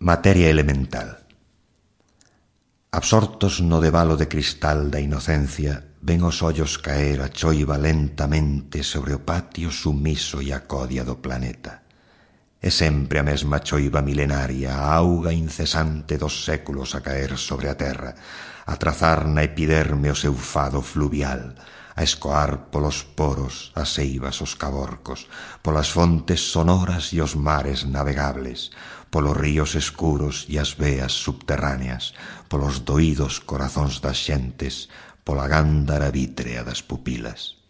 Materia elemental. Absortos no debalo de cristal da inocencia, ven os ollos caer a choiva lentamente sobre o patio sumiso e a codia do planeta. É sempre a mesma choiva milenaria, a auga incesante dos séculos a caer sobre a terra, a trazar na epiderme o seu fado fluvial, a escoar polos poros as eivas os caborcos, polas fontes sonoras e os mares navegables, polos ríos escuros e as veas subterráneas, polos doídos corazóns das xentes, pola gándara vítrea das pupilas.